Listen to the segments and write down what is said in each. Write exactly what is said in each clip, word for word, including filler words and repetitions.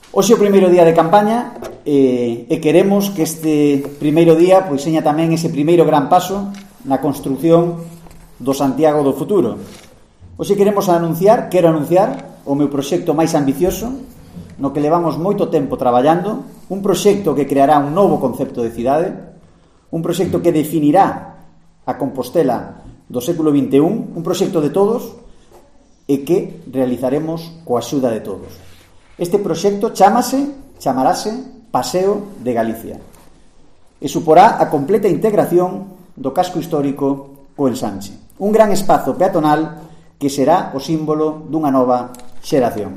Hoxe o primeiro día de campaña eh, e queremos que este primeiro día pois seña tamén ese primeiro gran paso na construción do Santiago do futuro. Hoxe queremos anunciar, quero anunciar o meu proxecto máis ambicioso, no que levamos moito tempo traballando, un proxecto que creará un novo concepto de cidade, un proxecto que definirá a Compostela do século vinte e un, un proxecto de todos e que realizaremos coa axuda de todos. Este proxecto chámase, chamarase Paseo de Galicia e suporá a completa integración do casco histórico co ensanche. Un gran espazo peatonal que será o símbolo dunha nova xeración.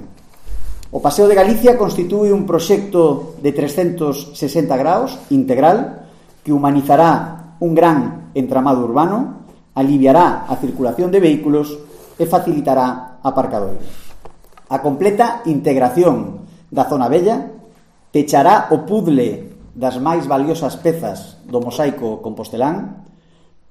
O Paseo de Galicia constitúe un proxecto de trescentos sesenta graus integral que humanizará un gran entramado urbano, aliviará a circulación de vehículos e facilitará aparcadoiros. A completa integración da zona vella pechará o puzzle das máis valiosas pezas do mosaico compostelán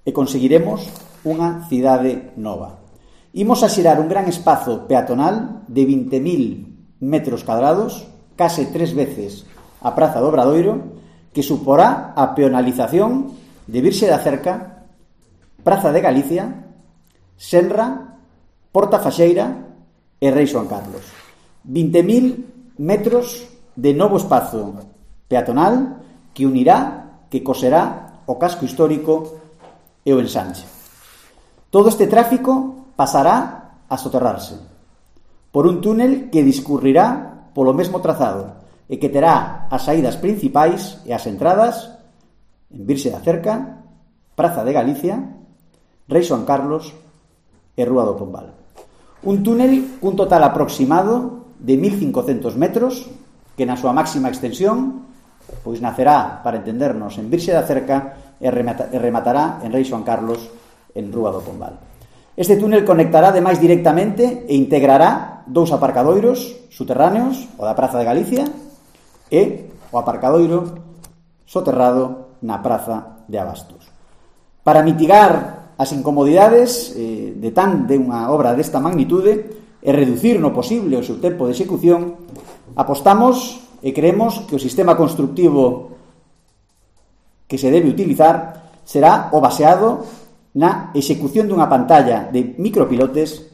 e conseguiremos unha cidade nova. Imos a xerar un gran espazo peatonal de vinte mil metros cadrados, case tres veces a Praza do Obradoiro, que suporá a peonalización de Virxe da Cerca, Praza de Galicia, Senra, Porta Faxeira e Rei Xoán Carlos. vinte mil metros de novo espazo peatonal que unirá, que coserá o casco histórico e o ensanche. Todo este tráfico pasará a soterrarse por un túnel que discurrirá polo mesmo trazado e que terá as saídas principais e as entradas en Virxe da Cerca, Praza de Galicia, Rei Xoán Carlos e Rúa do Pombal. Un túnel cun total aproximado de mil cincocentos metros que na súa máxima extensión pois nacerá, para entendernos, en Virxe da Cerca e rematará en Rei Xoán Carlos en Rúa do Pombal. Este túnel conectará ademais directamente e integrará dous aparcadoiros subterráneos, o da Praza de Galicia e o aparcadoiro soterrado na Praza de Abastos. Para mitigar as incomodidades eh, de tan de unha obra desta magnitude e reducir no posible o seu tempo de execución, apostamos e creemos que o sistema constructivo que se debe utilizar será o baseado na execución dunha pantalla de micropilotes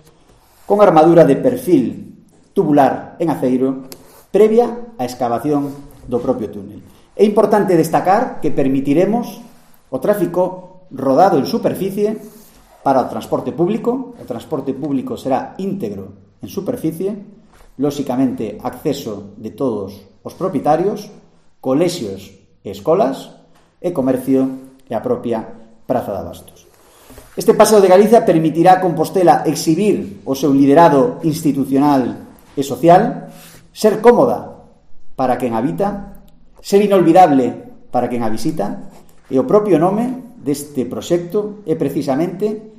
con armadura de perfil tubular en aceiro previa á excavación do propio túnel. É importante destacar que permitiremos o tráfico rodado en superficie para o transporte público. O transporte público será íntegro en superficie, lóxicamente acceso de todos os propietarios, colexios e escolas e comercio e a propia Praza de Abastos. Este Paseo de Galicia permitirá a Compostela exhibir o seu liderado institucional e social, ser cómoda para quen habita, ser inolvidable para quen a visita, e o propio nome deste proxecto é precisamente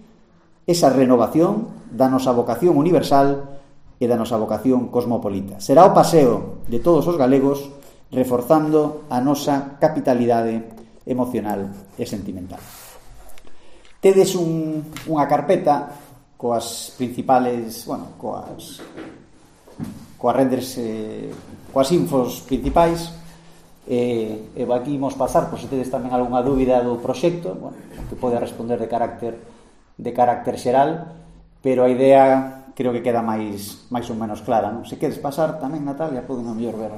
esa renovación da nosa vocación universal e da nosa vocación cosmopolita. Será o paseo de todos os galegos reforzando a nosa capitalidade emocional e sentimental. Tedes un, unha carpeta coas principales, bueno, coas coas renders eh, coas infos principais. E, e aquí imos pasar, por se tedes tamén algunha dúbida do proxecto, bueno, que pode responder de carácter de carácter xeral, pero a idea creo que queda máis máis ou menos clara, non? Se queres pasar tamén, Natalia, poden a mellor ver.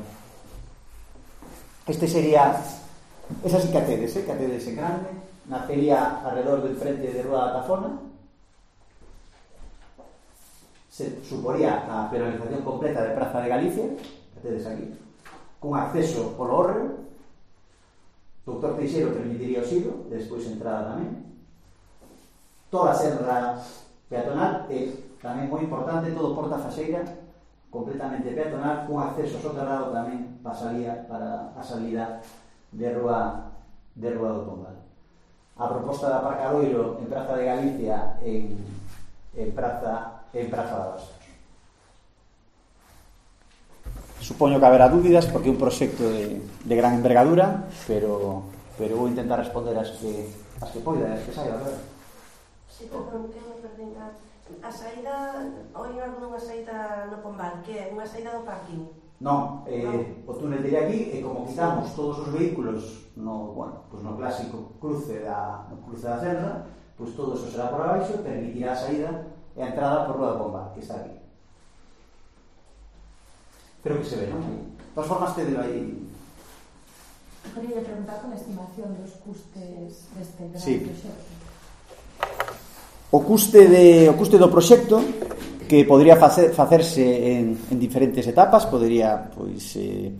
Este sería, esa sí que a tedes, eh, que a tedes en grande, nacería alrededor do enfrente de Rúa da Tafona, se suporía a penalización completa de Praza de Galicia, que tedes aquí, con acceso polo hórreo. Doutor Teixeiro permitiría o silo, despois entrada tamén. Toda a serra peatonal e, tamén moi importante, todo Porta Faxeira completamente peatonal, con acceso soterrado tamén pasaría para a salida de Rúa de Rúa do Pombal. A proposta de aparcadoiro en Praza de Galicia en, en Praza en Praza de Abastos. Supoño que haberá dúbidas porque é un proxecto de, de gran envergadura, pero, pero vou intentar responder as que, as que poida, as que saiba, verdad? Si, perdón, que me perdín. A saída, oír algunha saída no Pombal, que é unha saída do parking? Non, eh, o túnel de aquí, e como quitamos todos os vehículos no, bueno, pues no clásico cruce da, no cruce da Serra, pois pues todo eso será por abaixo, permitirá a saída e a entrada por Rua de Bomba, que está aquí. Creo que se ve, non? De todas formas, tedelo aí. Quería preguntar con a estimación dos custes deste gran sí. proxecto. O custe, de, o custe do proxecto, que podría facer, facerse en, en diferentes etapas, podería, pois, eh,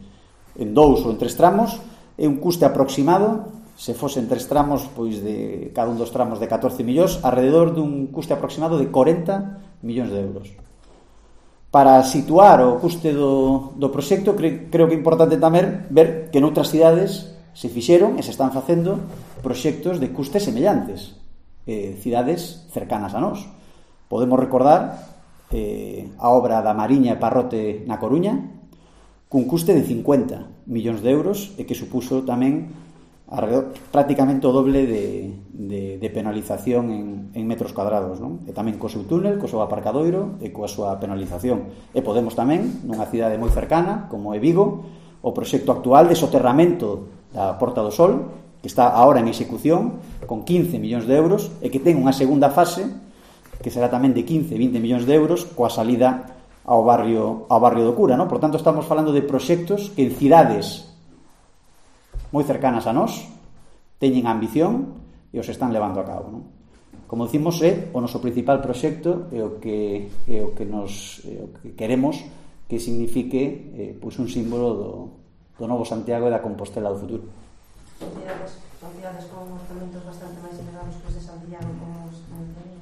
en dous ou en tres tramos, é un custe aproximado, se fosen tres tramos, pois de cada un dos tramos de catorce millóns, alrededor dun custe aproximado de corenta millóns de euros. Para situar o custe do, do proxecto, cre, creo que é importante tamén ver que noutras cidades se fixeron e se están facendo proxectos de custes semellantes, eh, cidades cercanas a nós. Podemos recordar eh, a obra da Mariña e Parrote na Coruña, cun custe de cincuenta millóns de euros e que supuso tamén alrededor, prácticamente o doble de, de, de penalización en, en metros cuadrados, non? E tamén co seu túnel, co seu aparcadoiro e coa súa penalización. E podemos tamén, nunha cidade moi cercana como é Vigo, o proxecto actual de soterramento da Porta do Sol, que está agora en execución con quince millóns de euros e que ten unha segunda fase que será tamén de quince a vinte millóns de euros coa salida ao barrio, ao barrio do Cura, non? Por tanto, estamos falando de proxectos que en cidades moi cercanas a nós teñen ambición e os están levando a cabo, non? Como decimos, é o noso principal proxecto e o que, é o que nos é o que queremos que signifique eh, pois un símbolo do, do novo Santiago e da Compostela do futuro. Cidades, son cidades con orzamentos bastante máis elevados que os de Santiago, como os de...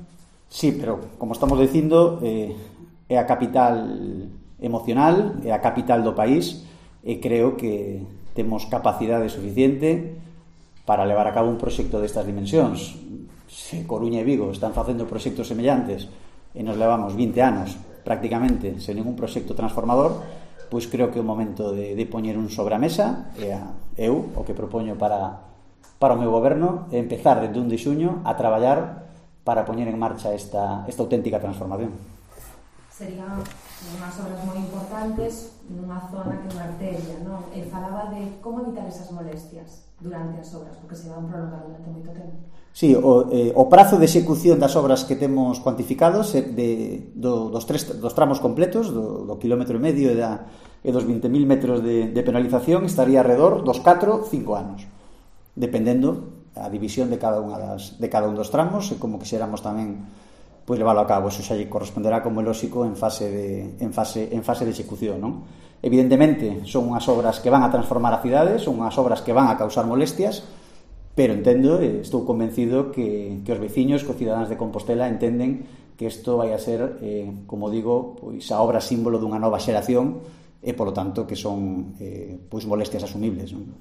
Sí, pero como estamos dicindo, eh, é a capital emocional, é a capital do país e creo que temos capacidade suficiente para levar a cabo un proxecto destas dimensións. Se Coruña e Vigo están facendo proxectos semellantes e nos levamos vinte anos prácticamente sen ningún proxecto transformador, pois creo que é o momento de, de poñer un sobre a mesa e a, eu o que propoño para, para o meu goberno é empezar desde un de xuño a traballar para poñer en marcha esta, esta auténtica transformación. Serían unhas obras moi importantes nunha zona que é unha arteria, non? E falaba de como evitar esas molestias durante as obras, porque se van prolongar durante moito tempo. Sí, o, eh, o prazo de execución das obras que temos cuantificados é de, do, dos, tres, dos tramos completos, do, do kilómetro e medio e, da, e dos vinte mil metros de, de penalización estaría alrededor dos catro a cinco anos, dependendo a división de cada unha das, de cada un dos tramos e como quixéramos tamén pois leválo a cabo. Eso xa lle corresponderá, como é lóxico, en fase de, en fase, en fase de execución, non? Evidentemente, son unhas obras que van a transformar a cidade, son unhas obras que van a causar molestias, pero entendo, e estou convencido que, que os veciños, que os cidadáns de Compostela entenden que isto vai a ser, eh, como digo, pois a obra símbolo dunha nova xeración e, polo tanto, que son eh, pois molestias asumibles, non?